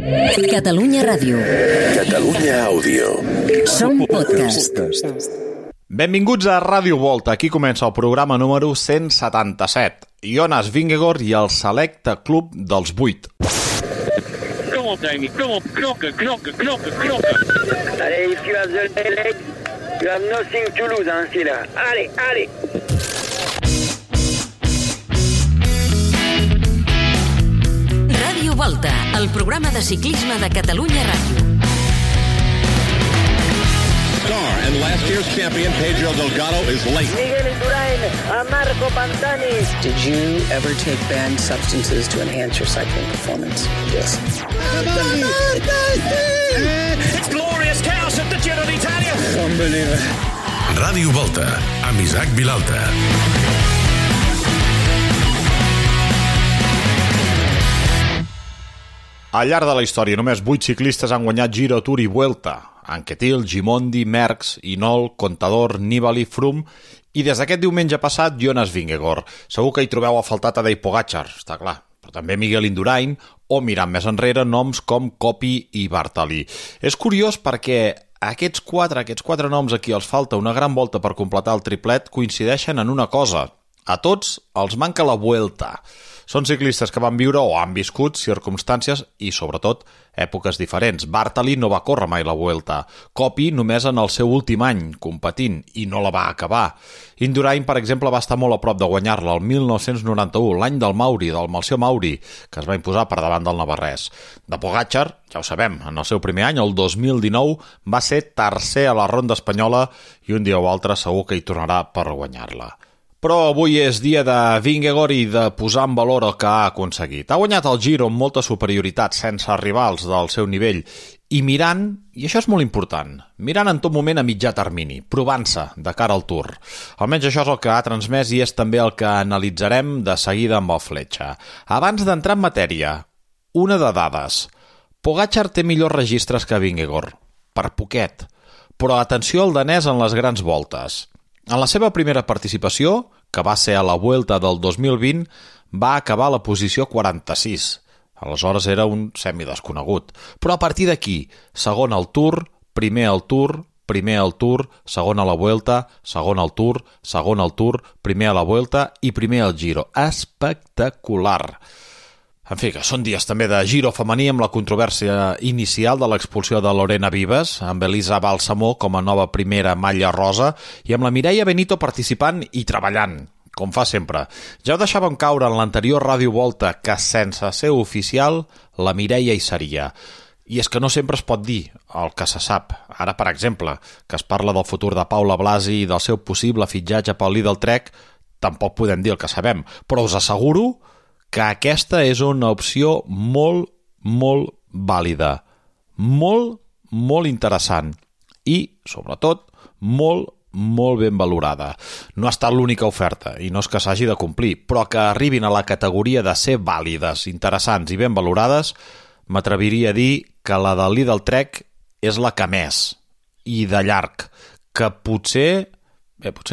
Catalunya Ràdio. Catalunya Àudio. Som podcast. Benvinguts a Ràdio Volta. Aquí comença el programa número 177. Jonas Vingegaard i el selecte club dels 8. Come on, Damien. Come on. Knocker. Allez, if you have the leg, you have nothing to lose, hein, c'est là. Allez. Ràdio Volta, el programa de ciclisme de Catalunya Ràdio. And last year's champion Pedro Delgado is late. Miguel Indurain, a Marco Pantani. Did you ever take banned substances to enhance your cycling performance? Yes. It's glorious chaos at the Giro d'Italia. Unbelievable. Ràdio Volta, amb Isaac Vilalta. Al llarg de la història, només 8 ciclistes han guanyat Giro, Tour i Vuelta. Anquetil, Gimondi, Merckx, Hinault, Contador, Nibali, Froome i des d'aquest diumenge passat, Jonas Vingegaard. Segur que hi trobeu a faltar Tadej Pogačar, està clar, però també Miguel Indurain o, mirant més enrere, noms com Coppi i Bartali. És curiós perquè aquests quatre noms a qui els falta una gran volta per completar el triplet coincideixen en una cosa. A tots els manca la Vuelta. Són ciclistes que van viure o han viscut circumstàncies i, sobretot, èpoques diferents. Bartali no va córrer mai la Vuelta. Coppi només en el seu últim any, competint, i no la va acabar. Indurain, per exemple, va estar molt a prop de guanyar-la el 1991, l'any del Mauri, del Malció Mauri, que es va imposar per davant del navarrès. De Pogačar, ja ho sabem, en el seu primer any, el 2019, va ser tercer a la ronda espanyola i un dia o altre segur que hi tornarà per guanyar-la. Però avui és dia de Vingegaard i de posar en valor el que ha aconseguit. Ha guanyat el Giro amb molta superioritat, sense rivals del seu nivell, i mirant, i això és molt important, mirant en tot moment a mitjà termini, provant-se de cara al Tour. Almenys això és el que ha transmès i és també el que analitzarem de seguida amb el Fletxa. Abans d'entrar en matèria, una de dades. Pogačar té millors registres que Vingegaard, per poquet, però atenció al danès en les grans voltes. En la seva primera participació, que va ser a la Vuelta del 2020, va acabar a la posició 46. Aleshores era un semidesconegut. Però a partir d'aquí, segon al Tour, primer al Tour, segon a la Vuelta, segon al Tour, primer a la Vuelta i primer al Giro. Espectacular! En fi, que són dies també de Giro femení amb la controvèrsia inicial de l'expulsió de Lorena Vives, amb Elisa Balsamó com a nova primera malla rosa i amb la Mireia Benito participant i treballant, com fa sempre. Ja ho deixàvem caure en l'anterior Ràdio Volta que sense ser oficial la Mireia hi seria. I és que no sempre es pot dir el que se sap. Ara, per exemple, que es parla del futur de Paula Blasi i del seu possible fitxatge pel Lidl Trek, tampoc podem dir el que sabem, però us asseguro que aquesta és una opció molt vàlida, molt interessant i, sobretot, molt ben valorada. No ha estat l'única oferta i no és que s'hagi de complir, però que arribin a la categoria de ser vàlides, interessants i ben valorades, m'atreviria a dir que la del Lidl Trek és la que més, i de llarg, que potser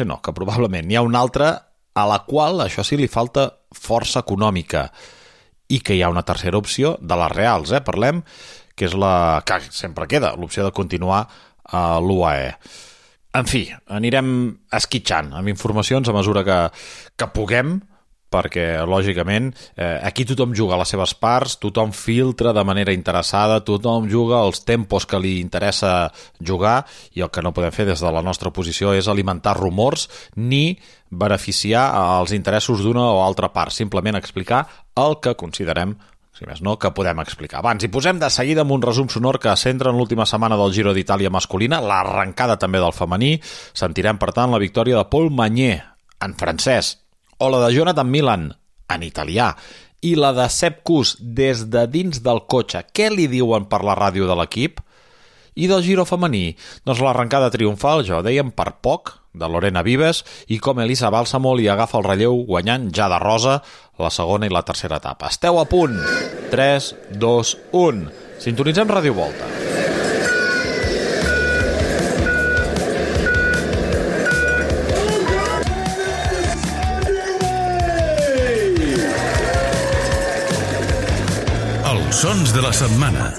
no, que probablement n'hi ha una altra a la qual, això sí, li falta força econòmica i que hi ha una tercera opció de les reals, parlem, que és la que sempre queda, l'opció de continuar a l'UAE. En fi, anirem esquitxant amb informacions a mesura que puguem, perquè, lògicament, aquí tothom juga a les seves parts, tothom filtra de manera interessada, tothom juga els tempos que li interessa jugar i el que no podem fer des de la nostra posició és alimentar rumors ni beneficiar els interessos d'una o altra part, simplement explicar el que considerem, si més no, que podem explicar. Abans, hi posem de seguida amb un resum sonor que centra en l'última setmana del Giro d'Itàlia masculina, l'arrencada també del femení, sentirem, per tant, la victòria de Paul Magnier, en francès, o la de Jonathan Milan, en italià, i la de Sepp Kuss des de dins del cotxe. Què li diuen per la ràdio de l'equip? I del Giro femení? Doncs l'arrencada triomfal, ja ho dèiem, per poc, de Lorena Vives, i com Elisa Balsamó li agafa el relleu guanyant ja de rosa la segona i la tercera etapa. Esteu a punt! 3, 2, 1. Sintonitzem Ràdio Volta. Chansons de la setmana.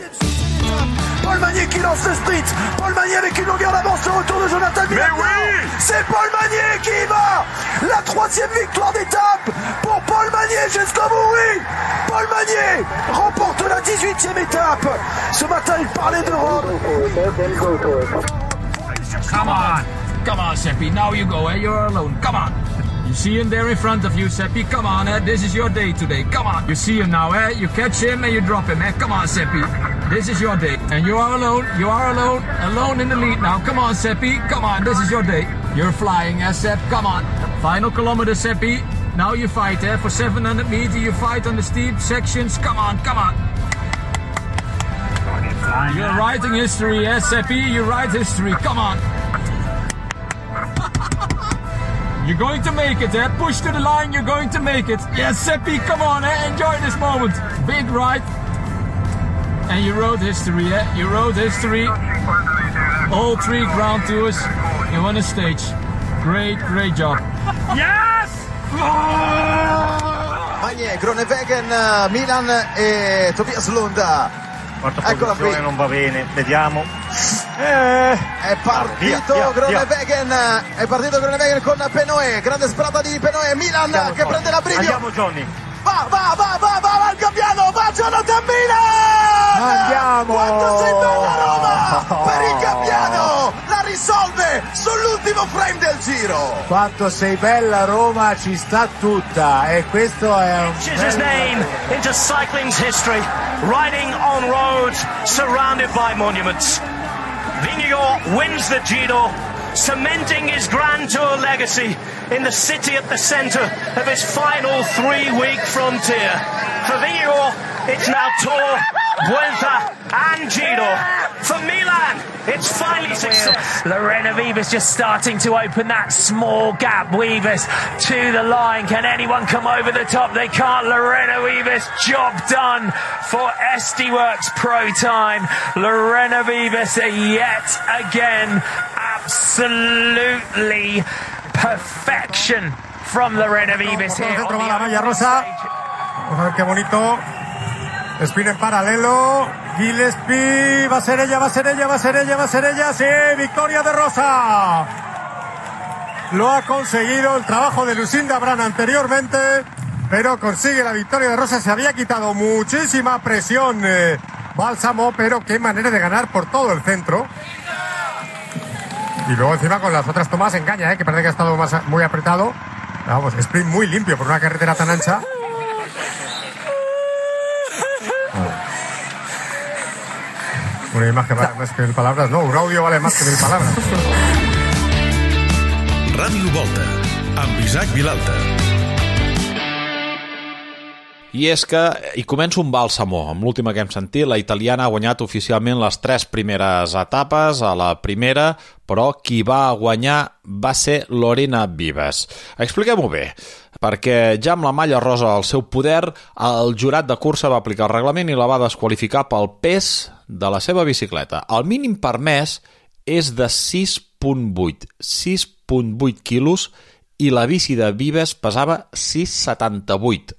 Paul Magnier qui lance le sprint. Paul Magnier avec une longueur d'avance, le retour de Jonathan Miller. Oui, c'est Paul Magnier qui y va. La 3e victoire d'étape pour Paul Magnier jusqu'au bout. Oui, Paul Magnier remporte la 18e étape. Ce matin, il parlait de Rome. Come on, Seppi. Now you go. You're alone. Come on. You see him there in front of you, Seppi. Come on, this is your day today. Come on. You see him now, You catch him and you drop him, Come on, Seppi. This is your day. And you are alone. You are alone. Alone in the lead now. Come on, Seppi. Come on. This is your day. You're flying, Sepp. Come on. Final kilometer, Seppi. Now you fight, For 700 meters, you fight on the steep sections. Come on. Come on. You're writing history, Seppi. You write history. Come on. You're going to make it, Push to the line, you're going to make it. Yes, Seppi, come on, Enjoy this moment. Big ride. And you wrote history, You wrote history. All 3 Grand Tours in one stage. Great job. Yes! Magnier, Groenewegen, Milan e Tobias Lund. Quarta posizione non va bene, vediamo. È partito Groenewegen, è partito Groenewegen con Penoe, grande sparata di Penoe, Milan che prende la brivio. Andiamo Johnny. Va il Gabbiano, va Jonathan Miller! Andiamo! Quanto sei bella Roma! Per il Gabbiano! La risolve sull'ultimo frame del giro! Quanto sei bella Roma, ci sta tutta, e questo è un his name into cycling's history, riding on roads surrounded by monuments. Vingegaard wins the Giro, cementing his Grand Tour legacy in the city at the centre of his final 3-week frontier. For Vingegaard, it's now Tour, Vuelta and Giro. For Milan, it's finally success. Lorena Wiebes just starting to open that small gap. Wiebes to the line. Can anyone come over the top? They can't. Lorena Wiebes, job done for SD Worx Pro Time. Lorena Wiebes yet again. Absolutely perfection from Lorena Wiebes here. Dentro va la malla rosa. Vamos a ver qué bonito. Spin en paralelo. Gillespie. Va a ser ella. Sí, victoria de Rosa. Lo ha conseguido el trabajo de Lucinda Brand anteriormente, pero consigue la victoria de Rosa. Se había quitado muchísima presión Bálsamo, pero qué manera de ganar por todo el centro. Y luego encima con las otras tomas engaña, que parece que ha estado muy apretado. Vamos, sprint muy limpio por una carretera tan ancha. Una imagen vale más que 1000 palabras, no, un audio vale más que 1000 palabras. Ràdio Volta, amb Isaac Vilalta. I és que hi comença un bàlsamo. Amb l'última que hem sentit, la italiana ha guanyat oficialment les 3 primeres etapes a la primera, però qui va guanyar va ser Lorena Wiebes. Expliquem-ho bé, perquè ja amb la malla rosa al seu poder, el jurat de cursa va aplicar el reglament i la va desqualificar pel pes de la seva bicicleta. El mínim permès és de 6,8 quilos i la bici de Wiebes pesava 6,78.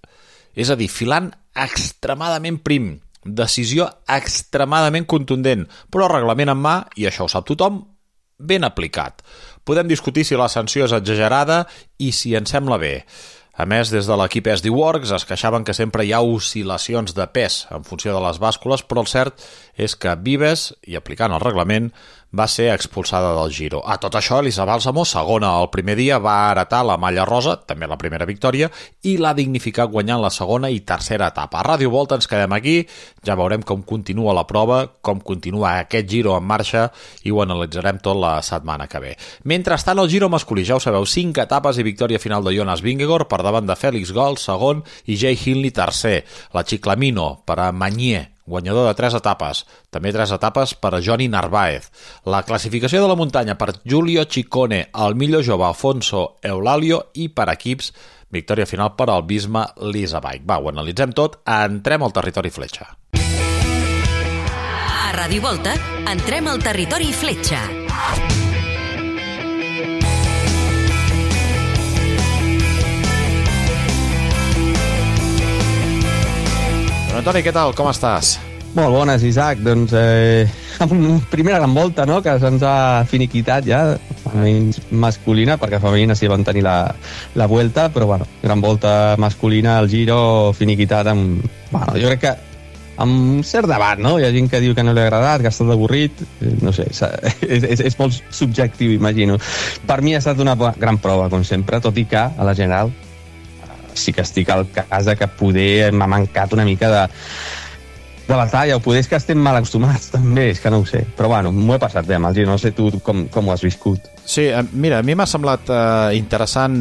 És a dir, filant extremadament prim, decisió extremadament contundent, però reglament en mà, i això ho sap tothom, ben aplicat. Podem discutir si la sanció és exagerada i si ens sembla bé. A més, des de l'equip SD Worx es queixaven que sempre hi ha oscil·lacions de pes en funció de les bàscules, però el cert és que Wiebes, i aplicant el reglament, va ser expulsada del Giro. A tot això, Elisa Bálsamo, segona el primer dia, va heretar la malla rosa, també la primera victòria, i l'ha dignificat guanyant la segona i tercera etapa. A Ràdio Volta ens quedem aquí, ja veurem com continua la prova, com continua aquest Giro en marxa, i ho analitzarem tot la setmana que ve. Mentrestant, el Giro masculí, ja ho sabeu, 5 etapes i victòria final de Jonas Vingegaard per davant de Félix Gall, segon, i Jay Hindley, tercer. La Ciclamino per a Magnier, guanyador de 3 etapes, també 3 etapes per a Johnny Narváez. La classificació de la muntanya per Giulio Ciccone, el millor jove Alfonso Eulalio i per equips, victòria final per al Visma Lease Bike. Va, ho analitzem tot, entrem al territori fletxa. A Ràdio Volta, entrem al territori fletxa. Bueno, Toni, què tal? Com estàs? Molt bones, Isaac. Doncs amb una primera gran volta, no?, que se'ns ha finiquitat ja, almenys masculina, perquè femenina sí van tenir la Vuelta, però bueno, gran volta masculina, el Giro finiquitat amb... Bueno, jo crec que amb cert debat, no? Hi ha gent que diu que no li ha agradat, que ha estat avorrit, no sé, és molt subjectiu, imagino. Per mi ha estat una gran prova, com sempre, tot i que, a la general, sí que estic al cas de que poder m'ha mancat una mica de batalla, o poder és que estem mal acostumats, també, és que no ho sé. Però bueno, m'ho he passat bé amb el Giro, no sé tu com ho has viscut. Sí, mira, a mi m'ha semblat interessant,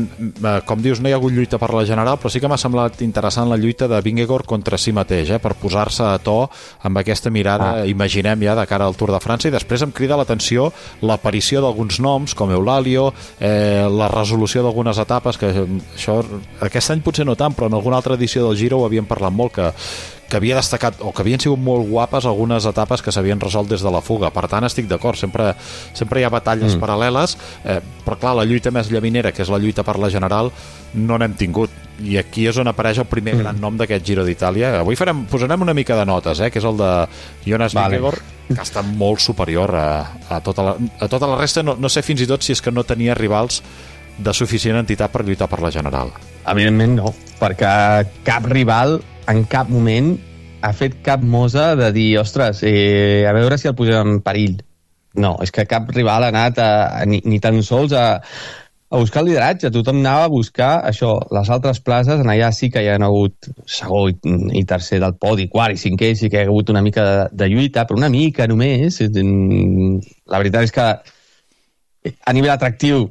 com dius, no hi ha hagut lluita per la general, però sí que m'ha semblat interessant la lluita de Vingegaard contra si mateix, per posar-se a to amb aquesta mirada, imaginem ja, de cara al Tour de França, i després em crida l'atenció l'aparició d'alguns noms, com Eulalio, la resolució d'algunes etapes, que això aquest any potser no tant, però en alguna altra edició del Giro ho havíem parlat molt, que havia destacat, o que havien sigut molt guapes algunes etapes que s'havien resolt des de la fuga. Per tant, estic d'acord, sempre hi ha batalles paral·leles, però clar, la lluita més llaminera, que és la lluita per la general, no n'hem tingut, i aquí és on apareix el primer gran nom d'aquest Giro d'Itàlia. Avui posarem una mica de notes, que és el de Jonas Vingegaard, que ha estat molt superior a tota la resta. No sé fins i tot si és que no tenia rivals de suficient entitat per lluitar per la general. Evidentment no, perquè cap rival en cap moment ha fet cap mosa de dir, ostres, a veure si el posem en perill. No, és que cap rival ha anat ni tan sols a buscar el lideratge. Tothom anava a buscar això, les altres places, en allà sí que hi ha hagut segon i tercer del podi, quart i cinquè, sí que hi ha hagut una mica de lluita, però una mica només. La veritat és que a nivell atractiu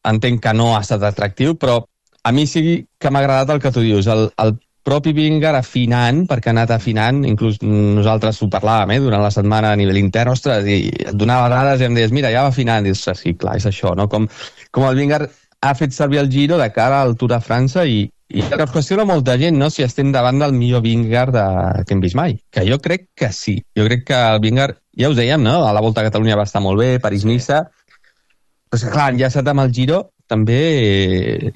entenc que no ha estat atractiu, però a mi sí que m'ha agradat el que tu dius, el propi Vingegaard afinant, perquè ha anat afinant, inclús nosaltres ho parlàvem durant la setmana a nivell intern, ostres, i et donava dades i em deies, mira, ja va afinant, i dius, sí, clar, és això, no? Com el Vingegaard ha fet servir el Giro de cara al Tour de França i que es qüestiona molta gent, no?, si estem davant del millor Vingegaard que hem vist mai, que jo crec que sí. Jo crec que el Vingegaard, ja us dèiem, no?, a la Volta a Catalunya va estar molt bé, París-Niça, però clar, enllaçat amb el Giro també,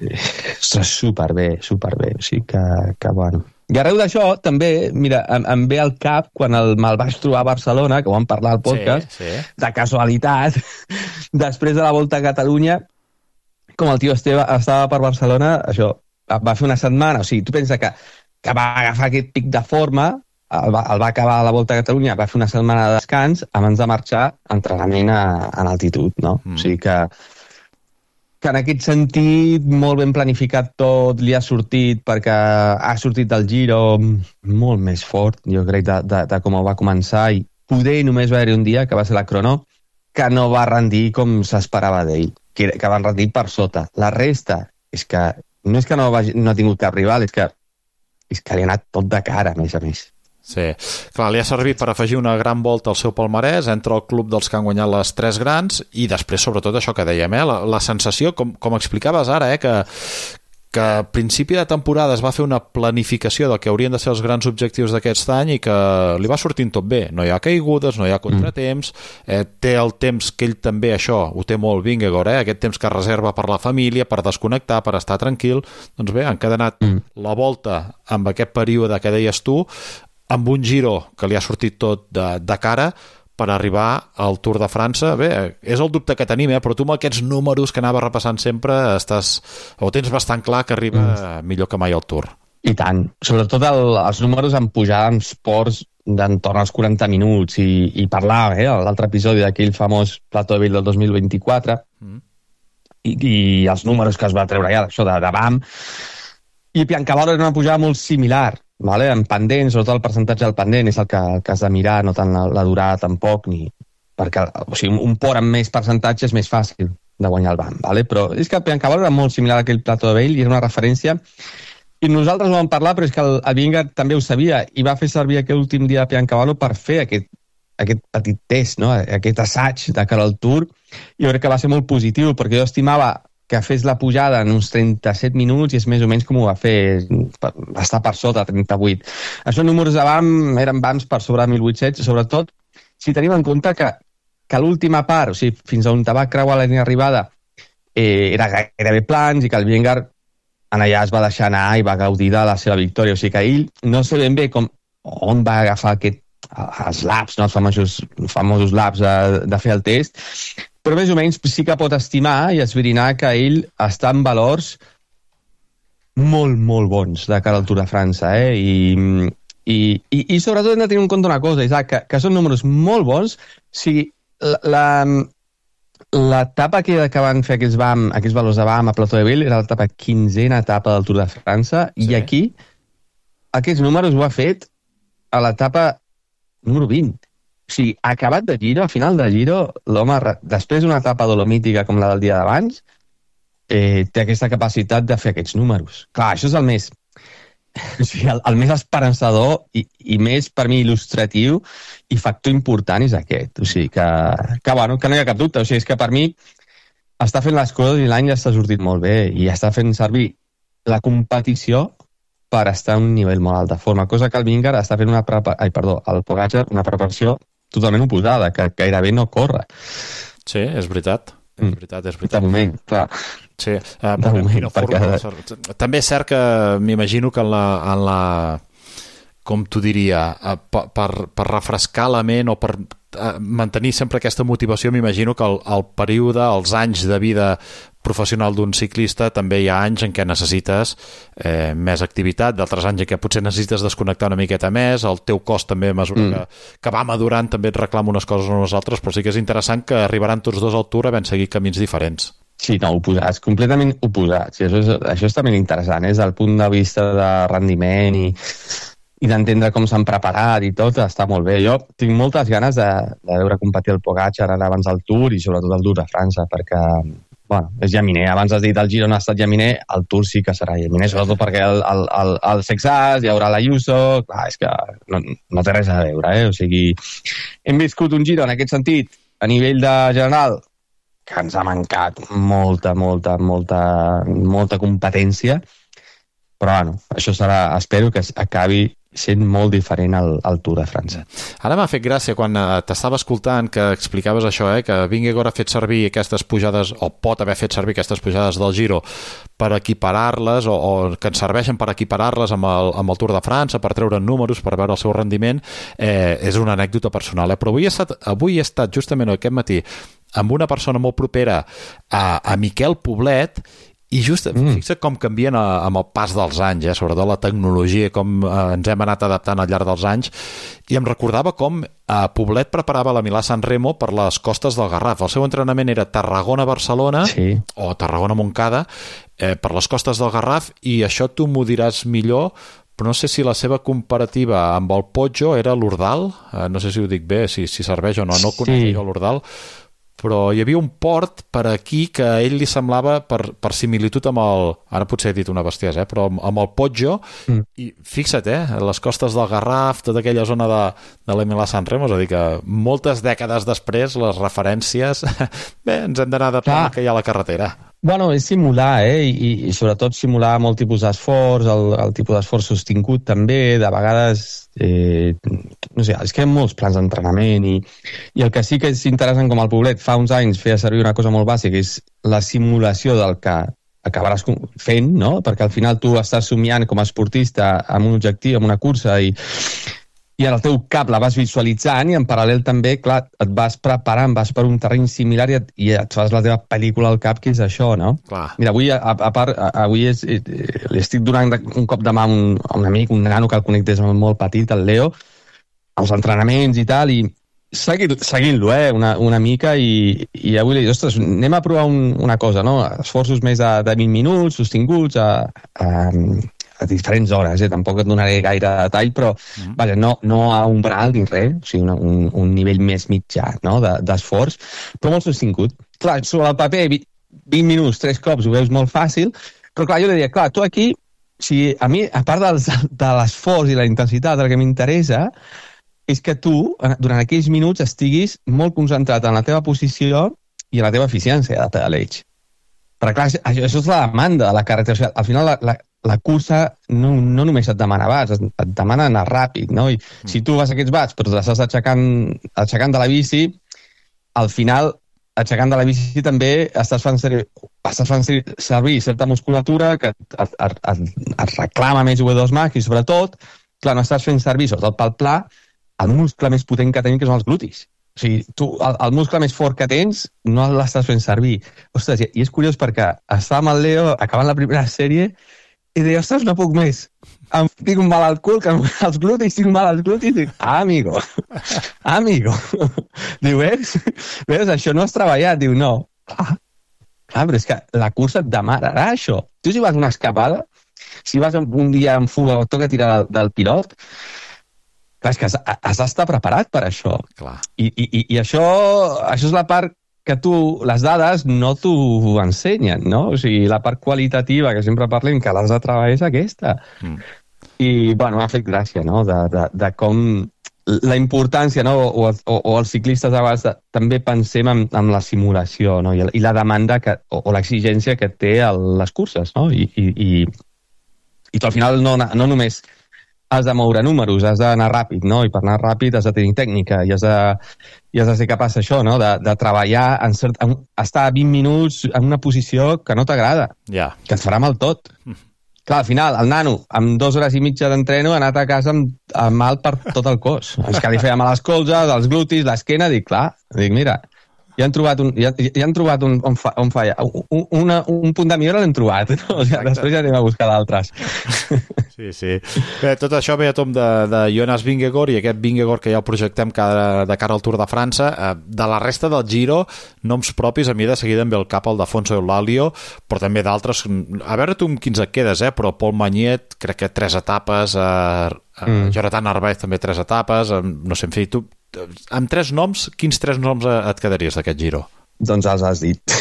ostres, superbé, o sigui que bueno. I arreu d'això, també, mira, em ve al cap quan me'l vaig trobar a Barcelona, que ho vam parlar al podcast, de casualitat, després de la Volta a Catalunya, com el tio estava per Barcelona, això, va fer una setmana, o sigui, tu pensa que va agafar aquest pic de forma, el va acabar a la Volta a Catalunya, va fer una setmana de descans abans de marxar a entrenament en altitud, no? O sigui que en aquest sentit, molt ben planificat tot, li ha sortit, perquè ha sortit del Giro molt més fort, jo crec, de com ho va començar, i poder només va haver-hi un dia, que va ser la crono, que no va rendir com s'esperava d'ell, que van rendir per sota. La resta, és que no és que no ha tingut cap rival, és que li ha anat tot de cara, a més. Sí, clar, li ha servit per afegir una gran volta al seu palmarès, entre el club dels que han guanyat les 3 grans, i després, sobretot, això que dèiem, la sensació, com explicaves ara, que a principi de temporada es va fer una planificació del que haurien de ser els grans objectius d'aquest any i que li va sortint tot bé. No hi ha caigudes, no hi ha contratemps, té el temps que ell també, això, ho té molt Vingegaard, aquest temps que reserva per la família, per desconnectar, per estar tranquil. Doncs bé, han encadenat la volta amb aquest període que deies tu, amb un Giro que li ha sortit tot de cara per arribar al Tour de França. Bé, és el dubte que tenim, però tu amb aquests números que anava repassant sempre tens bastant clar que arriba millor que mai al Tour. I tant, sobretot els números en pujada en ports d'entorn als 40 minuts i parlar, l'altre episodi d'aquell famós Plateau de Ville del 2024 i els números que es va treure allà, això de BAM, i Biancavalo era una pujada molt similar, vale? En pendent, sobretot el percentatge del pendent és el que has de mirar, no tant la durada tampoc, perquè un port amb més percentatge és més fàcil de guanyar el BAM, vale? Però és que Biancavalo era molt similar a aquell Plateau de Ville i era una referència, i nosaltres ho vam parlar, però és que el Vingegaard també ho sabia i va fer servir aquell últim dia de Biancavalo per fer aquest petit test, no? Aquest assaig de cara al Tour. Jo crec que va ser molt positiu, perquè jo estimava que fes la pujada en uns 37 minuts i és més o menys com ho va fer, va estar per sota, 38. Això números de BAM eren BAMs per sobre de 1.800, sobretot si tenim en compte que l'última part, o sigui, fins on va creuar la línia d'arribada, era gairebé plans i que el Vingegaard en allà es va deixar anar i va gaudir de la seva victòria. O sigui que ell no sé ben bé com on va agafar els laps, no? Els famosos laps de fer el test, però més o menys sí que pot estimar i esbrinar que ell està en valors molt, molt bons de cara al Tour de França, I sobretot hem de tenir en compte una cosa, Isaac, que són números molt bons. O sigui, l'etapa que van fer aquests valors de BAM a Plateau de Ville era l'etapa 15a etapa del Tour de França, i aquí aquests números ho ha fet a l'etapa número 20. O sigui, acabat de Giro, a final de Giro, l'home, després d'una etapa dolomítica com la del dia d'abans, té aquesta capacitat de fer aquests números. Clar, això és el més... O sigui, el més esperançador i més, per mi, il·lustratiu i factor important és aquest. O sigui, que no hi ha cap dubte. O sigui, és que per mi està fent les coses i l'any ja està sortit molt bé i està fent servir la competició per estar a un nivell molt alt de forma, cosa que el Vingegaard està fent el Pogačar, una preparació totalment oposada, que gairebé no corre. Sí, és veritat. És veritat. De moment, clar. Sí, també és cert que m'imagino que en la com t'ho diria, per refrescar la ment o per mantenir sempre aquesta motivació, m'imagino que el període, els anys de vida professional d'un ciclista, també hi ha anys en què necessites més activitat, d'altres anys en què potser necessites desconnectar una miqueta més, el teu cos també a mesura que va madurant també et reclama unes coses o unes altres, però sí que és interessant que arribaran tots dos al Tour havent seguit camins diferents. Sí, no, oposats, completament oposats. I això és també interessant, des del punt de vista de rendiment i d'entendre com s'han preparat i tot, està molt bé. Jo tinc moltes ganes de veure competir el Pogačar ara abans del Tour i sobretot el Tour de França, perquè és llaminer. Abans has dit el Giro no ha estat llaminer, el Tour sí que serà llaminer, sobretot perquè el Sexas, hi haurà l'Ayuso, clar, és que no té res a veure, O sigui, hem viscut un Giro en aquest sentit, a nivell de general, que ens ha mancat molta competència, però això serà, espero que acabi sent molt diferent al Tour de França. Ara m'ha fet gràcia quan t'estava escoltant que explicaves això, que Vingegaard ha fet servir aquestes pujades, o pot haver fet servir aquestes pujades del Giro per equiparar-les, o que ens serveixen per equiparar-les amb el Tour de França, per treure números, per veure el seu rendiment. És una anècdota personal, però avui he estat justament aquest matí amb una persona molt propera a Miquel Poblet, i just fixa't com canvien amb el pas dels anys, sobretot la tecnologia, com ens hem anat adaptant al llarg dels anys, i em recordava com Poblet preparava la Milà-San Remo per les costes del Garraf. El seu entrenament era Tarragona-Barcelona o Tarragona-Montcada per les costes del Garraf, i això tu m'ho diràs millor, però no sé si la seva comparativa amb el Poggio era l'Ordal, no sé si ho dic bé, si serveix o no conec jo l'Ordal, però hi havia un port per aquí que a ell li semblava per similitud amb ara potser he dit una bestiesa, però amb el Poggio, i fixa't, les costes del Garraf, tota aquella zona de la Milà-San Remo, és a dir que moltes dècades després les referències, ens hem d'anar adaptant al que hi ha a la carretera. Bueno, és simular, i sobretot simular molt tipus d'esforç, el tipus d'esforç sostingut també, de vegades, no sé, és que hi ha molts plans d'entrenament, i el que sí que és interessant, com el Poblet fa uns anys feia servir una cosa molt bàsica, és la simulació del que acabaràs fent, no? Perquè al final tu estàs somiant com a esportista amb un objectiu, amb una cursa, i en el teu cap la vas visualitzant, i en paral·lel també, clar, et vas preparant, vas per un terreny similar i et fas la teva pel·lícula al cap, que és això, no? Clar. Mira, avui li estic donant un cop de mà a un amic, un nano que el conec des de molt petit, el Leo, als entrenaments i tal, i seguint-lo, una mica, i avui li dic, ostres, anem a provar una cosa, no? Esforços més de 20 minuts, sostinguts, a diferents hores, tampoc et donaré gaire detall, però vaja, no a umbral ni res, o sigui, un nivell més mitjà, no?, d'esforç, però molt sostingut. Clar, sobre el paper, 20 minuts, 3 cops, ho veus molt fàcil, però clar, jo li diria, clar, tu aquí, a mi, a part de l'esforç i la intensitat, el que m'interessa és que tu, durant aquells minuts, estiguis molt concentrat en la teva posició i en la teva eficiència de pedaleig. Però clar, això és la demanda de la carretera. O sigui, al final, la cursa no només et demana bats, et demana anar ràpid, no? I si tu vas a aquests bats, però t'estàs aixecant de la bici, al final, aixecant de la bici també estàs fent servir certa musculatura que et reclama més V2 Max, i sobretot clar, no estàs fent servir, sobretot pel pla, el muscle més potent que tenim, que són els glutis. O sigui, tu, el muscle més fort que tens, no l'estàs fent servir. Ostres, i és curiós perquè estava amb el Leo, acabant la primera sèrie, i deia, ostres, no puc més. Tinc un mal al cul, que els glutis, tinc mal als glutis. Dic, amigo. Diu, veus, això no has treballat. Diu, no. Clar, però és que la cursa et demanarà això. Tu si vas una escapada, si vas un dia en fuga o toca tirar del pilot, clar, és que has d'estar preparat per això. Clar. I això és la part que tu, les dades, no t'ho ensenyen, no? O sigui, la part qualitativa, que sempre parlem, que l'has de treballar és aquesta. I, bueno, m'ha fet gràcia, no?, de com la importància, no?, o els ciclistes a vegades també pensem en la simulació, no?, i la demanda o l'exigència que té les curses, no?, i tu al final no només has de moure números, has d'anar ràpid, no?, i per anar ràpid has de tenir tècnica i has de ser capaç d'això, no?, de treballar, estar 20 minuts en una posició que no t'agrada, que et farà mal tot. Clar, al final, el nano, amb 2 hores i mitja d'entreno, ha anat a casa amb mal per tot el cos. És que li feia mal a les colzes, els glutis, l'esquena, dic, mira, ja han trobat on falla. Un punt de millora l'hem trobat, no? O sigui, després ja anem a buscar d'altres. Sí. Bé, tot això ve a tom de Jonas Vingegaard, i aquest Vingegaard que ja el projectem de cara al Tour de França. De la resta del Giro, noms propis, a mi de seguida em ve al cap el d'Afonso Eulàlio, però també d'altres. A veure tu amb quins et quedes, però Paul Magnet, crec que 3 etapes, Jonathan Narvaez també 3 etapes, no sé, en fi, tu amb 3 noms, quins 3 noms et quedaries d'aquest Giro? Doncs els has dit.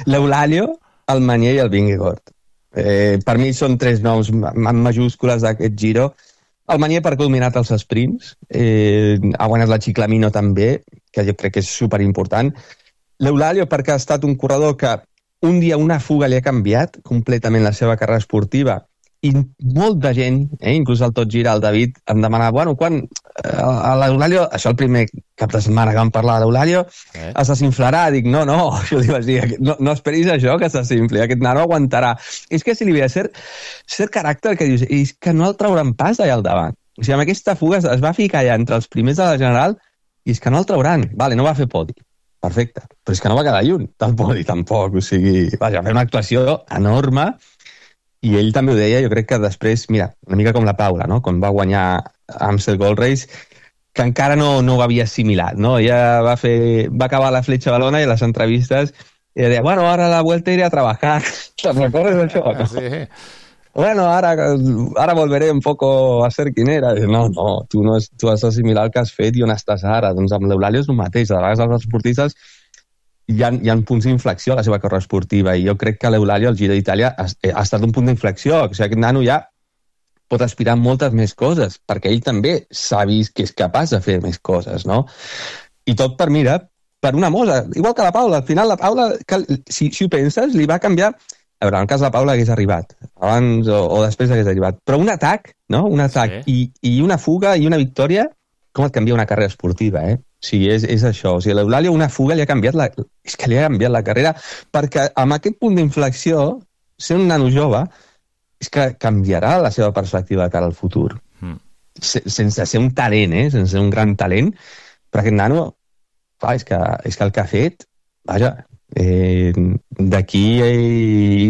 L'Eulàlio, el Magnet i el Vingegaard. Per mi són 3 noms en majúscules d'aquest Giro. El Magnet perquè ha dominat els sprints, ha guanyat la Ciclamino també, que jo crec que és superimportant. L'Eulàlio perquè ha estat un corredor que un dia una fuga li ha canviat completament la seva carrera esportiva, i molta gent, inclús el Tot Gira, el David, em demanava, bueno, quan l'Eulàlio, això el primer cap de setmana que vam parlar de l'Eulàlio, es desinflarà. Dic, no, jo li vaig dir, no esperis això que es desinfli, aquest nano aguantarà. És que si li ve a cert caràcter que dius, és que no el trauran pas d'allà al davant. O sigui, amb aquesta fuga es va ficar allà entre els primers de la General i és que no el trauran. Vale, no va fer podi. Perfecte. Però és que no va quedar lluny del podi, tampoc. O sigui, vaja, va fer una actuació enorme. I ell també ho deia, jo crec que després, mira, una mica com la Paula, no?, quan va guanyar Amstel Gold Race, que encara no ho havia assimilat, no? Ella va acabar la Fletxa Valona i a les entrevistes ella deia, bueno, ara la vuelta iré a trabajar. ¿Te recordes això? Sí. Bueno, ara volveré un poco a ser quien era. No, tu has d'assimilar el que has fet i on estàs ara. Doncs amb l'Eulàlio és el mateix. A vegades els esportistes hi ha punts d'inflexió a la seva carrera esportiva, i jo crec que l'Eulàlio al Giro d'Itàlia ha estat un punt d'inflexió. O sigui, aquest nano ja pot aspirar a moltes més coses, perquè ell també s'ha vist que és capaç de fer més coses, no? I tot per una mossa, igual que la Paula. Al final la Paula, si ho penses, li va canviar. A veure, en el cas de la Paula hagués arribat abans o després hagués arribat, però un atac, no? Un atac i una fuga i una victòria, com et canvia una carrera esportiva, O sigui, és això. O sigui, l'Eulàlio, una fuga, li ha canviat la carrera, perquè amb aquest punt d'inflexió, ser un nano jove, és que canviarà la seva perspectiva de cara al futur. Sense ser un talent, sense ser un gran talent, però aquest nano, clar, és que el que ha fet, vaja, d'aquí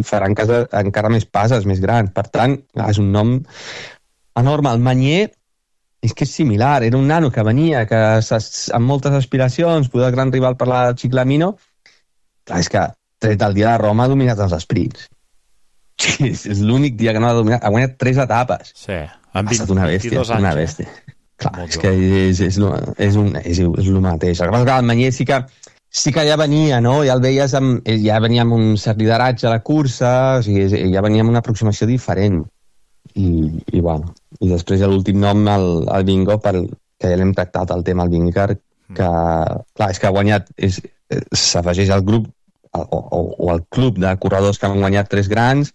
farà encara més passes més grans. Per tant, és un nom enorme. El Magnet és que és similar, era un nano que venia amb moltes aspiracions, poder el gran rival per la Ciclamino. Clar, és que tret el dia de Roma ha dominat els sprints. És l'únic dia que no ha dominat, ha guanyat 3 etapes. Sí, ha estat una bèstia, una bèstia. Clar, és que és el mateix. El que passa que el Magnet sí que ja venia, no? Ja el veies ja venia amb un cert lideratge a la cursa, o sigui, ja venia amb una aproximació diferent. I bueno, i després hi ha l'últim nom, el Vingo, que ja l'hem tractat el tema, el Vingegaard, que clar, és que ha guanyat, s'afegeix al grup o al club de corredors que han guanyat 3 grans,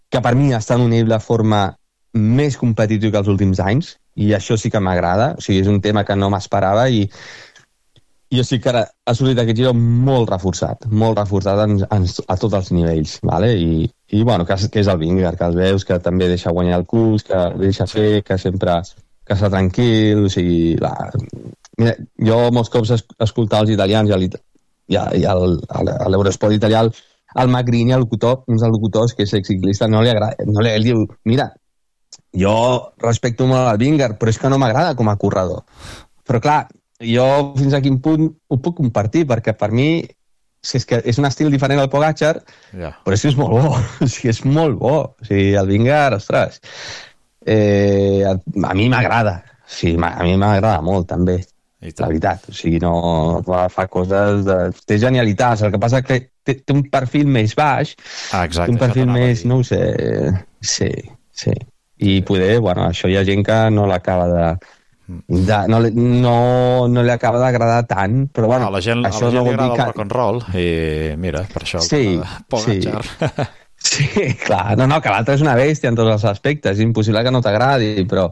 que per mi està en un nivell de forma més competitiu que els últims anys, i això sí que m'agrada. O sigui, és un tema que no m'esperava, i jo sí que ara ha sortit aquest Giro molt reforçat a tots els nivells, vale? I bueno, que és el Vingegaard, que els veus que també deixa guanyar el curs, que deixa fer, que sempre que està tranquil, o sigui, mira, jo molts cops escoltava els italians i a l'Eurosport italià el Magrini, un dels locutors que és exciclista, no li agrada, ell diu, mira, jo respecto molt el Vingegaard, però és que no m'agrada com a corredor. Però clar, jo fins a quin punt ho puc compartir, perquè per mi és que és un estil diferent al Pogačar, però és que és molt bo, o sigui, és molt bo. O sigui, el Vingegaard, ostres, a mi m'agrada, sí, a mi m'agrada molt també, la veritat, o sigui, no fa coses té genialitats, el que passa que té un perfil més baix, exacte, un perfil més, no ho sé, sí, i poder, bueno, això hi ha gent que no l'acaba no li acaba d'agradar tant, però bueno, la gent li agrada el rock and roll i mira, per això Pogačar. Sí, clar, no, que l'altre és una bèstia en tots els aspectes, és impossible que no t'agradi, però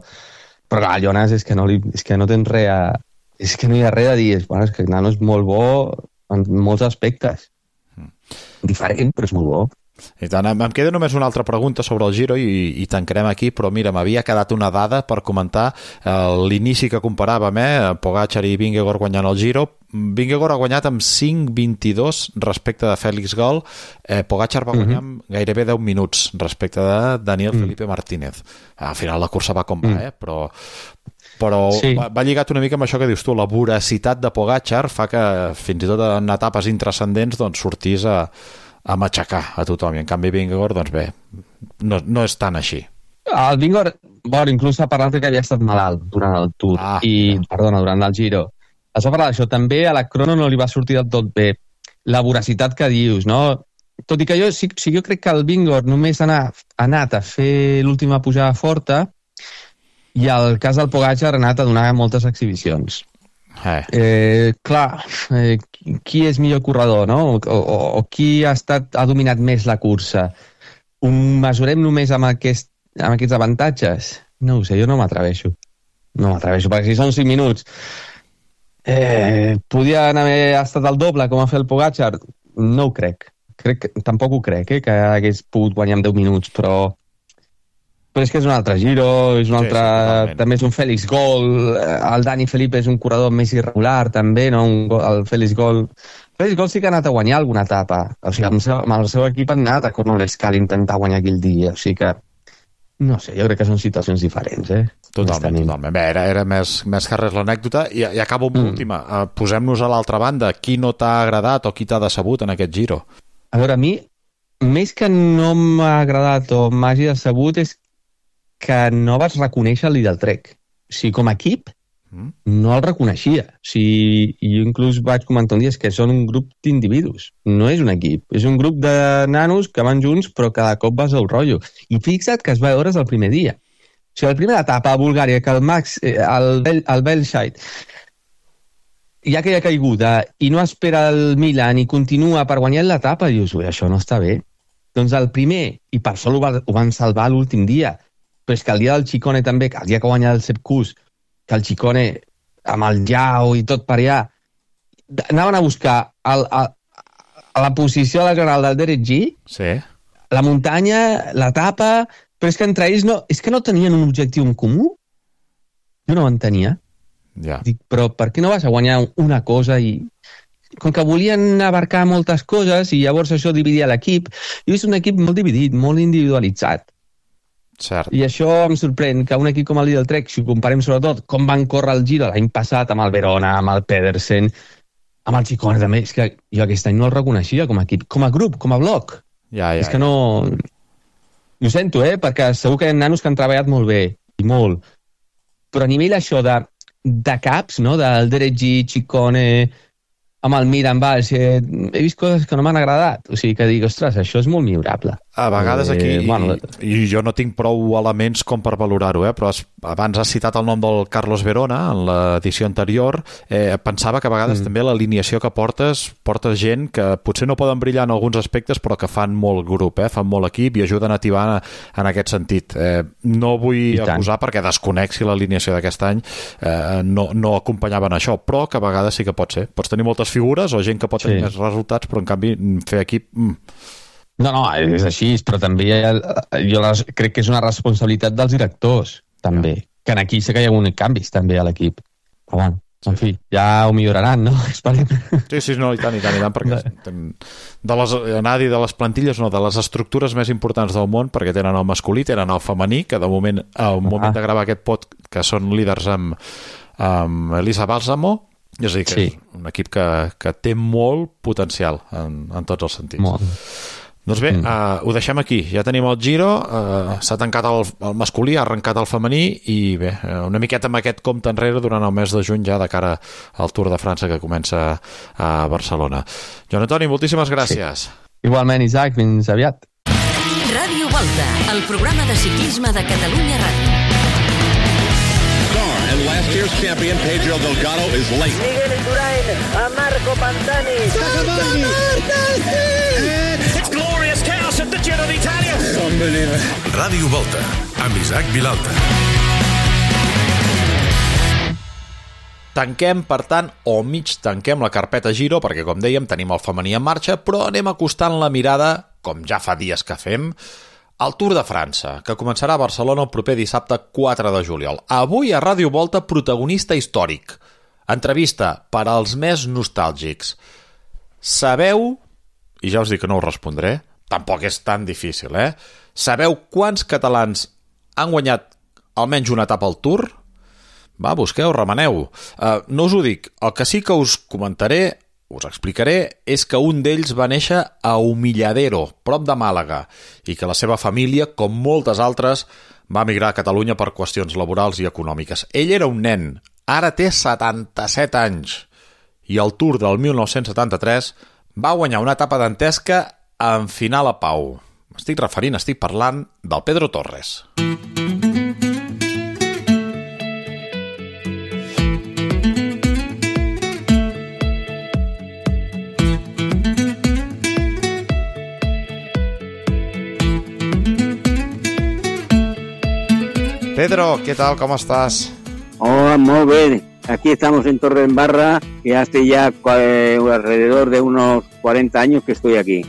clar, Jonas és que no tens res és que no hi ha res a dir, bueno, és que el nano és molt bo en molts aspectes, diferent, però és molt bo. I tant, em queda només una altra pregunta sobre el Giro i tancarem aquí, però mira, m'havia quedat una dada per comentar l'inici que comparàvem, Pogačar i Vingegaard guanyant el Giro. Vingegaard ha guanyat amb 5:22 respecte de Félix Gol, Pogačar va guanyar amb gairebé 10 minuts respecte de Daniel Felipe Martínez. Al final la cursa va com va, però va lligat una mica amb això que dius tu, la voracitat de Pogačar fa que fins i tot en etapes intrascendents doncs sortís a matxacar a tothom, i en canvi Vingegaard, doncs bé, no és tan així. El Vingegaard, bueno, inclús s'ha parlat que havia estat malalt durant el Tour, durant el Giro. Es va parlar d'això, també a la crono no li va sortir del tot bé la voracitat que dius, no? Tot i que jo crec que el Vingegaard només ha anat a fer l'última pujada forta, i el cas del Pogačar ha anat a donar moltes exhibicions. Clar, qui és millor corredor, no? O qui ha dominat més la cursa? Ho mesurem només amb aquests avantatges? No ho sé, jo no m'atreveixo, perquè si són 5 minuts podien haver estat el doble com ha fet el Pogačar, no ho crec, tampoc ho crec, que hagués pogut guanyar en 10 minuts, però és que és un altre Giro, és un altre, també és un Félix Gol, el Dani Felipe és un corredor més irregular també, no? El Félix Gol sí que ha anat a guanyar alguna etapa, o sigui, amb el seu equip ha anat a Cornellescal a intentar guanyar aquell dia, o sigui que no sé, jo crec que són situacions diferents, Totalment. Bé, era més que res l'anècdota, i acabo amb l'última. Posem-nos a l'altra banda, qui no t'ha agradat o qui t'ha decebut en aquest Giro? A veure, a mi, més que no m'ha agradat o m'hagi decebut, és que no vas reconèixer el líder del Trek. O sigui, com a equip, no el reconeixia. O sigui, jo inclús vaig comentar un dia que són un grup d'individus, no és un equip. És un grup de nanos que van junts, però cada cop vas al rotllo. I fixa't que es va veure el primer dia. O sigui, la primera etapa a Bulgària, que el Belshite, hi ha aquella caiguda i no espera el Milan i continua per guanyar l'etapa, dius, això no està bé. Doncs el primer, i per això ho van salvar l'últim dia, però és que el dia del Ciccone també, que el dia que guanya el Sepp Kuss, que el Ciccone amb el Jau i tot per allà, anaven a buscar a la posició de la general del Derek G, la muntanya, l'etapa, però és que entre ells és que no tenien un objectiu en comú. Jo no ho entenia. Dic, però per què no vas a guanyar una cosa i... Com que volien abarcar moltes coses i llavors això dividia l'equip, i és un equip molt dividit, molt individualitzat. Cert. I això em sorprèn que un equip com el Lidl Trek, si ho comparem sobretot com van córrer el Giro l'any passat amb el Verona, amb el Pedersen, amb el Ciccone també, és que jo aquest any no el reconeixia com a equip, com a grup, com a bloc. És que no... Ho sento, perquè segur que hi ha nanos que han treballat molt bé, i molt, però a nivell això de caps, no? Del Derek G, Ciccone, amb el Miran Valls, he vist coses que no m'han agradat, o sigui que dic, ostres, això és molt millorable. A vegades aquí, i jo no tinc prou elements com per valorar-ho, però abans has citat el nom del Carlos Verona en l'edició anterior, pensava que a vegades també l'alineació que portes gent que potser no poden brillar en alguns aspectes però que fan molt grup, fan molt equip i ajuden a tibar en aquest sentit. No vull acusar perquè desconec si l'alineació d'aquest any no acompanyaven això, però que a vegades sí que pot ser. Pots tenir moltes figures o gent que pot tenir més resultats, però en canvi fer equip... No, és així, però també jo crec que és una responsabilitat dels directors, també. Que aquí sé que hi ha hagut canvis, també, a l'equip. Però bueno, en fi, ja ho milloraran, no? Esperem. Sí, no, i tant, perquè de les plantilles, no, de les estructures més importants del món, perquè tenen el masculí, tenen el femení, que de moment, al moment de gravar aquest pot, que són líders amb Elisa Bálsamo, és a dir, que és un equip que té molt potencial en tots els sentits. Molt. Doncs bé, ho deixem aquí. Ja tenim el Giro, s'ha tancat el masculí, ha arrencat el femení i bé, una miqueta amb aquest compte enrere durant el mes de juny ja de cara al Tour de França que comença a Barcelona. Joan Antoni, moltíssimes gràcies. Igualment, Isaac, fins aviat. Ràdio Volta, el programa de ciclisme de Catalunya Ràdio. And last year's champion, Pedro Delgado, is late. Miguel Indurain, a Marco Pantani. It's glorious chaos at the Giro d'Italia. Unbelievable. Ràdio Volta, amb Isaac Vilalta. Tanquem, per tant, o mig tanquem la carpeta Giro, perquè, com dèiem, tenim el femení en marxa, però anem acostant la mirada, com ja fa dies que fem, al Tour de França, que començarà a Barcelona el proper dissabte 4 de juliol. Avui a Ràdio Volta, protagonista històric. Entrevista per als més nostàlgics. Sabeu, i ja us dic que no us respondré, tampoc és tan difícil, Sabeu quants catalans han guanyat almenys una etapa al Tour? Va, busqueu, remeneu. No us ho dic. El que sí que us comentaré, us explicaré, és que un d'ells va néixer a Humilladero, prop de Màlaga, i que la seva família, com moltes altres, va emigrar a Catalunya per qüestions laborals i econòmiques. Ell era un nen, ara té 77 anys, i al Tour del 1973 va guanyar una etapa dantesca en final a Pau. Estic parlant del Pedro Torres. Pedro, ¿qué tal? ¿Cómo estás? Hola, muy bien. Aquí estamos en Torredembarra, que hace ya alrededor de unos 40 años que estoy aquí.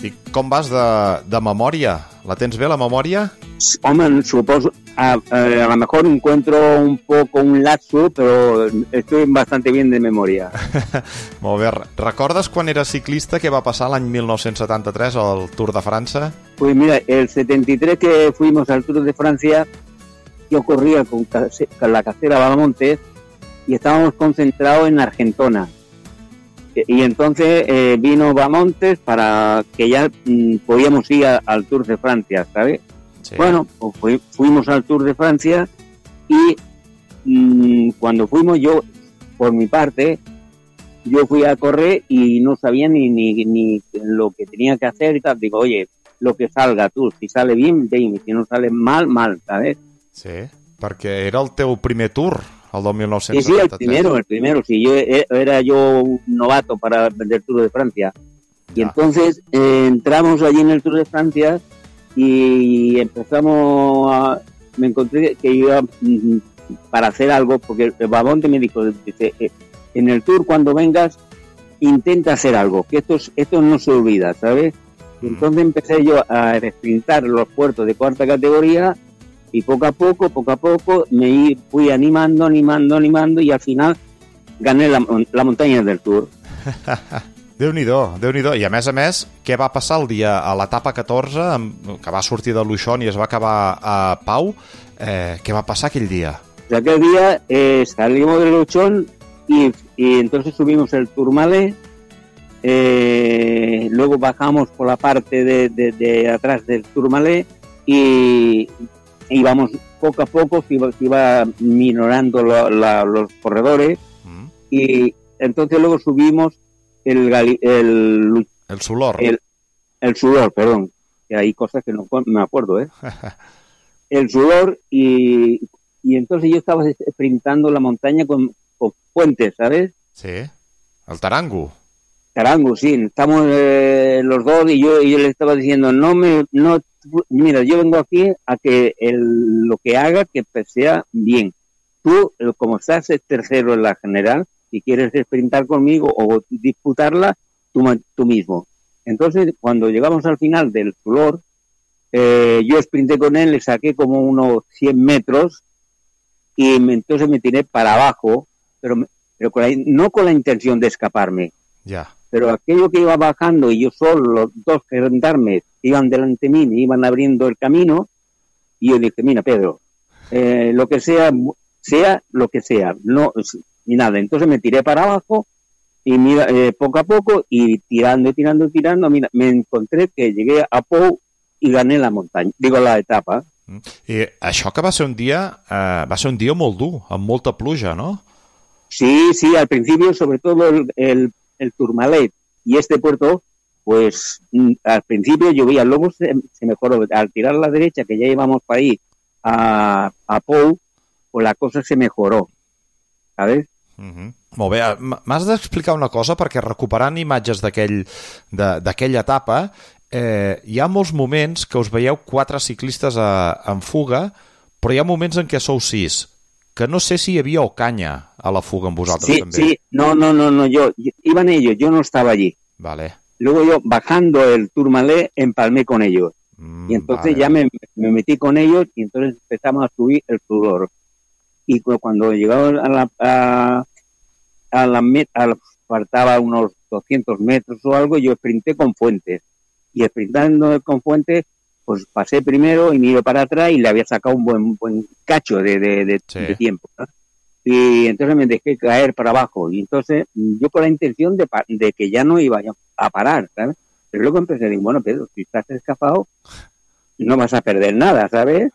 I com vas de memòria? La tens bé, la memòria? Hombre, supongo, a lo mejor encuentro un poco un lapso, pero estoy bastante bien de memoria. Molt bé. Recordes quan eres ciclista què va passar l'any 1973 al Tour de França? Pues mira, el 73 que fuimos al Tour de Francia, yo corría con la casera Valamontes y estábamos concentrados en Argentona. Y entonces vino Bamontes para que ya podíamos ir al Tour de Francia, ¿sabes? Sí. Bueno, pues fuimos al Tour de Francia y cuando fuimos yo, por mi parte, yo fui a correr y no sabía ni lo que tenía que hacer y tal. Digo, oye, lo que salga tú, si sale bien, bien, si no sale mal, mal, ¿sabes? Sí, perquè era el teu primer Tour, el del 1973. Sí, el primero, sí, era un novato para el Tour de Francia. Y entonces entramos allí en el Tour de Francia y empezamos me encontré que iba para hacer algo, porque el Bamonte me dijo, dice, en el Tour cuando vengas, intenta hacer algo, que esto no se olvida, ¿sabes? Y entonces empecé yo a sprintar los puertos de cuarta categoría y poco a poco me fui animando y al final gané la montaña del Tour. Déu-n'hi-do. I a més, què va passar el dia a l'etapa 14, que va sortir de Luchon i es va acabar a Pau? Què va passar aquell dia? Aquel día salimos de Luchon y entonces subimos el Tourmalet, luego bajamos por la parte de atrás del Tourmalet y íbamos poco a poco, se iba minorando los corredores y entonces luego subimos el Sudor, perdón, que hay cosas que no me acuerdo, ¿eh? El sudor y entonces yo estaba sprintando la montaña con Fuentes, ¿sabes? Sí, el Tarango. Tarango, sí, estamos los dos y yo le estaba diciendo, mira, yo vengo aquí a que lo que haga que sea bien. Tú, como estás tercero en la general, si quieres sprintar conmigo o disputarla, tú mismo. Entonces, cuando llegamos al final del Flor, yo sprinté con él, le saqué como unos 100 metros y entonces me tiré para abajo, pero no con la intención de escaparme. Ya. Pero aquello que iba bajando y yo solo, los dos gendarmes que iban delante de mí, me iban abriendo el camino, y yo dije, mira, Pedro, lo que sea lo que sea, no, ni nada. Entonces me tiré para abajo y mira, poco a poco, y tirando, mira, me encontré que llegué a Pou i gané la muntanya, la etapa. I això que va ser un dia molt dur, amb molta pluja, ¿no? Sí, al principio, sobre todo el Tourmalet y este puerto, pues al principio llovía, luego se mejoró. Al tirar a la derecha, que ya íbamos para ahí a Pou, pues la cosa se mejoró, ¿sabes? Molt bé, m'has d'explicar una cosa, perquè recuperant imatges d'aquella etapa, hi ha molts moments que us veieu 4 ciclistes en fuga, però hi ha moments en què sou 6, que no sé si hi havia Ocaña a la fuga amb vosaltres també. Sí, no, iban ellos, yo no estaba allí. Vale. Luego yo, bajando el Tourmalet, empalmé con ellos. Y entonces ya me metí con ellos y entonces empezamos a subir el sudor. Y cuando llegamos a la meta, faltaba unos 200 metros o algo, yo sprinté con Fuentes. Y sprintando con Fuentes, pues pasé primero y miro para atrás y le había sacado un buen cacho de tiempo, ¿no? Y entonces me dejé caer para abajo. Y entonces yo con la intención de que ya no iba a parar, ¿sabes? Pero luego empecé a decir, bueno, Pedro, si estás escapado, no vas a perder nada, ¿sabes?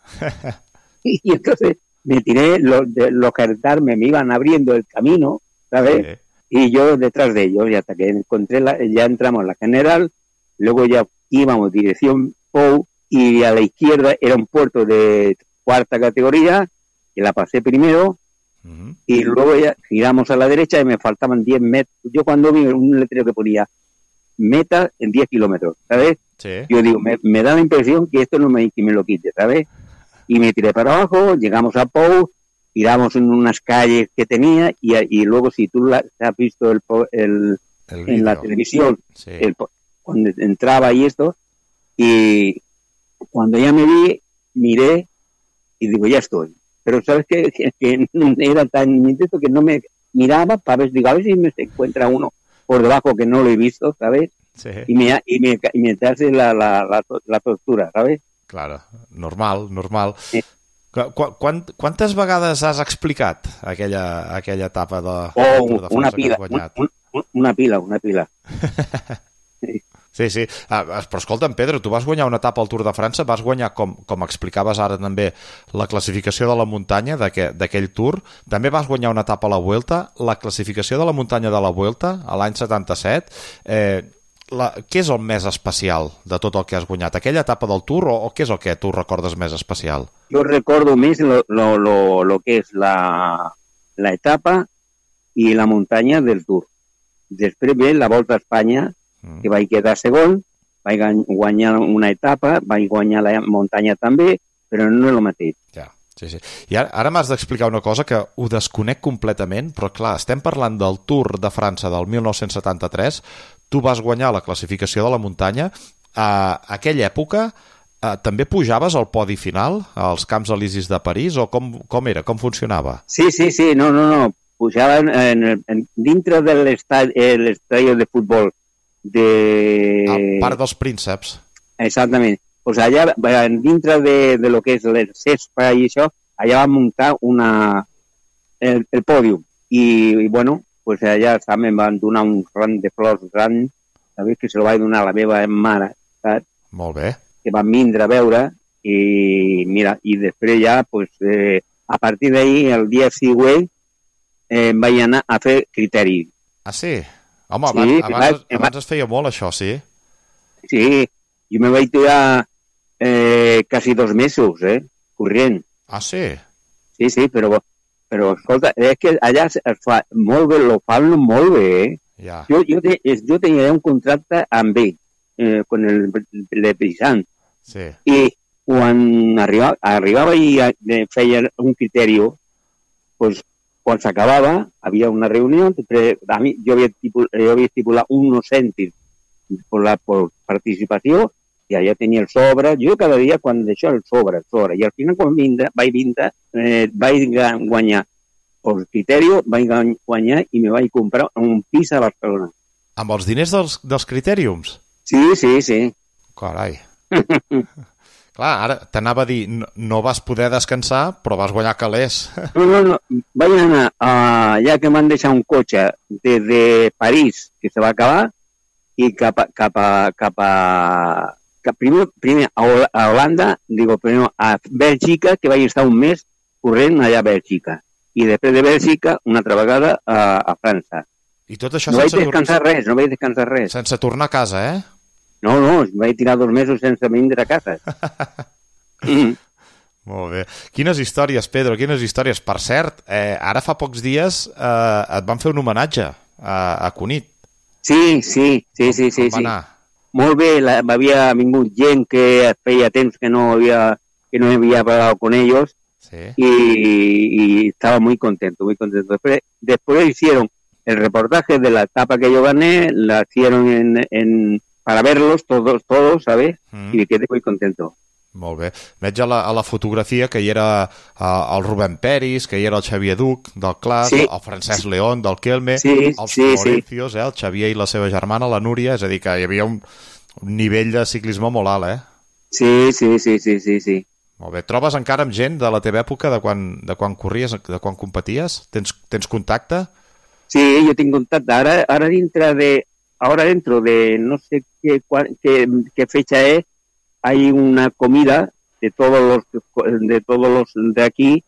Y entonces me tiré, los gendarmes me iban abriendo el camino, ¿sabes? Y yo detrás de ellos, y hasta que encontré ya entramos en la general, luego ya íbamos dirección Pou, y a la izquierda era un puerto de 4ª categoría, que la pasé primero, y luego ya giramos a la derecha y me faltaban 10 metros. Yo cuando vi un letrero que ponía meta en 10 kilómetros, ¿sabes? Sí. Yo digo, me da la impresión que esto no me lo quite, ¿sabes? Y me tiré para abajo, llegamos a Pou, tiramos en unas calles que tenía, y luego si tú has visto en la televisión, sí, cuando entraba y esto, y cuando ya me vi, miré y digo, ya estoy. Pero sabes que era tan intenso que no me miraba para ver, digo, a ver si me encuentra uno por debajo que no lo he visto, ¿sabes? Sí. Y me hace la tortura, ¿sabes? Claro, normal. Sí. Quantes vegades has explicat aquella etapa de Tour de França que has guanyat? Una pila. Sí. Però escolta'm, Pedro, tu vas guanyar una etapa al Tour de França, vas guanyar, com explicaves ara també, la classificació de la muntanya d'aquell Tour, també vas guanyar una etapa a la Vuelta, la classificació de la muntanya de la Vuelta, a l'any 77. Què és el més especial de tot el que has guanyat? Aquella etapa del Tour o què és el que tu recordes més especial? Jo recordo més lo que és la etapa i la muntanya del Tour. Després ve la Volta a Espanya, que vaig quedar segon, vaig guanyar una etapa, vaig guanyar la muntanya també, però no és el mateix. Ja, sí. I ara m'has d'explicar una cosa que ho desconec completament, però clar, estem parlant del Tour de França del 1973, tu vas guanyar la classificació de la muntanya, a aquella època també pujaves al podi final, als Camps Elisis de París, o com era, com funcionava? Sí, no, pujava dintre de l'estadi de futbol, al Parc dels Prínceps. Exactament. Pues allà, dintre de lo que és l'Espa i això, allà vam muntar el pòdium. I bueno, pues allà també em van donar un ram de flors gran, sabés que se lo vaig donar a la meva mare, saps? Molt bé. Que van vindre a veure, i mira, i després ja, pues, a partir d'ahir, el dia següent, vaig anar a fer criteri. Ah, sí? Home, abans es feia molt això, sí? Sí, Jo me vaig tirar quasi 2 mesos, corrent. Ah, sí? Sí, però escolta, és que allà es fa molt bé, lo fan molt bé, Ja. Jo tenia un contracte amb ell, con el Brisant. Sí. I quan arribava i feia un criteri, pues, quan s'acabava, havia una reunió, a mi, jo havia estipulat unos cèntims por participació, i allà tenia el sobre. Jo cada dia, quan d'això, el sobre. I al final, quan vaig guanyar per criteri, vaig guanyar i me vaig comprar un pis a Barcelona. Amb els diners dels critèriums? Sí. Carai. Clar, ara t'anava a dir, no vas poder descansar, però vas guanyar calés. No. Vaig anar, ja que m'han deixat un cotxe des de París, que se va acabar, i primer a Holanda, primer a Bèlgica, que vaig estar un mes corrent allà a Bèlgica. I després de Bèlgica, una altra vegada a França. I tot això no vaig descansar res. Sense tornar a casa, eh? No, vaig tirar 2 mesos sense vindre a casa. Molt bé. Quines històries, Pedro, quines històries. Per cert, ara fa pocs dies et van fer un homenatge a Cunit. Sí. Com va anar? Molt bé, m'havia vingut gent que feia temps que no havia parlat con ellos. Sí. Y estaba muy contento. Después hicieron el reportaje de la etapa que yo gané, la hicieron para verlos todos, ¿sabes? Y me quedé muy contento. Molt bé. Veig a la fotografia que hi era el Rubén Peris, que hi era el Xavier Duc del Clas, el Francesc León del Kelme, els Florencios, el Xavier i la seva germana, la Núria, és a dir, que hi havia un nivell de ciclisme molt alt, eh? Sí. Molt bé. Trobes encara amb gent de la teva època, de quan corries, de quan competies? Tens contacte? Sí, yo tengo contacto. Ahora dentro de no sé qué fecha es, hay una comida de todos los de aquí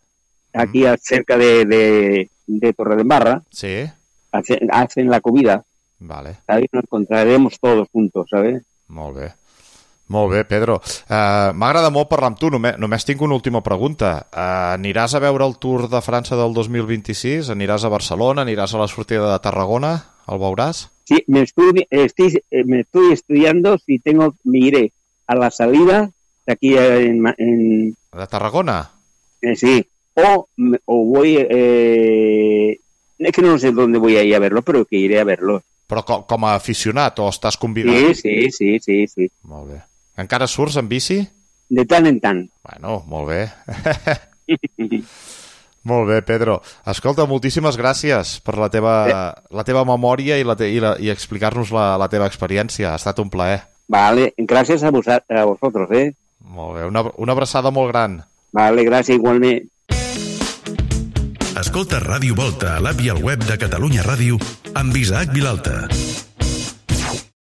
cerca de Torredembarra. Sí. Hacen la comida. Vale. Ahí nos encontraremos todos juntos, ¿sabes? Molt bé. Molt bé, Pedro. M'agrada molt parlar amb tu. Només tinc una última pregunta. Aniràs a veure el Tour de França del 2026? Aniràs a Barcelona? Aniràs a la sortida de Tarragona? El veuràs? Sí, me estoy estudiando si me iré a la salida de aquí en ¿De Tarragona? Sí. O voy... es que no sé dónde voy a ir a verlo, pero que iré a verlo. Però com a aficionat o estàs convidat? Sí. Molt bé. Encara surts en bici? De tant en tant. Bueno, molt bé. Molt bé, Pedro. Escolta, moltíssimes gràcies per la teva memòria i explicar-nos la teva experiència. Ha estat un plaer. Vale, gràcies a vosotros, Molt bé, una abraçada molt gran. Vale, gràcies, igualment. Escolta Ràdio Volta a l'app i al web de Catalunya Ràdio amb Isaac Vilalta.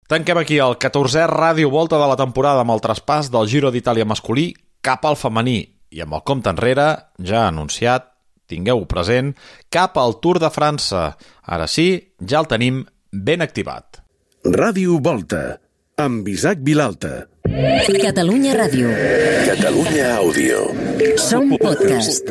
Tanquem aquí el 14è Ràdio Volta de la temporada amb el traspàs del Giro d'Itàlia masculí cap al femení i amb el compte enrere, ja anunciat, tingueu present, cap al Tour de França. Ara sí, ja el tenim ben activat. Ràdio Volta amb Isaac Vilalta. Catalunya Ràdio. Catalunya Àudio. Som podcast.